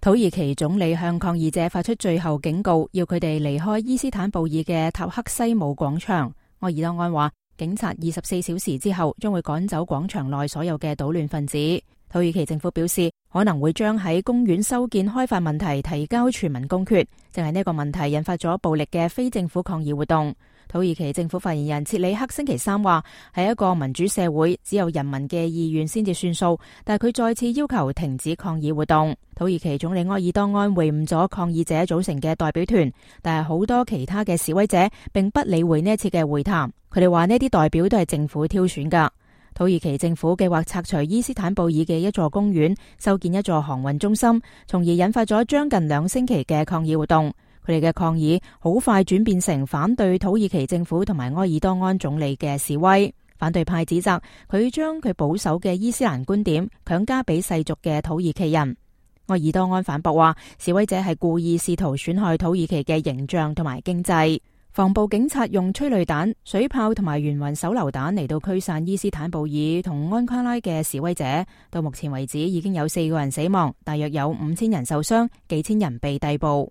土耳其總理向抗議者發出最後警告，要佢哋離開伊斯坦布爾嘅塔克西姆廣場。埃爾多安話，警察24小時之後將會趕走廣場內所有嘅搗亂分子。土耳其政府表示，可能會將喺公園修建開發問題提交全民公決，正係呢個問題引發咗暴力嘅非政府抗議活動。土耳其政府發言人切里克星期三話，喺一個民主社會，只有人民嘅意願先至算數，但係佢再次要求停止抗議活動。土耳其總理埃爾多安會晤咗抗議者組成嘅代表團，但係好多其他嘅示威者並不理會呢一次嘅會談。佢哋話呢啲代表都係政府挑選㗎。土耳其政府計劃拆除伊斯坦布爾嘅一座公園，修建一座航運中心，從而引發咗將近2星期嘅抗議活動。佢哋嘅抗議好快轉變成反對土耳其政府同埋埃爾多安總理嘅示威。反對派指責佢將佢保守嘅伊斯蘭觀點強加俾世俗嘅土耳其人。埃爾多安反駁話，示威者係故意試圖損害土耳其嘅形象同埋經濟。防暴警察用催淚彈、水炮同埋圓暈手榴彈嚟到驅散伊斯坦布爾同安卡拉嘅示威者。到目前為止已經有4個人死亡，大約有5000人受傷，幾千人被逮捕。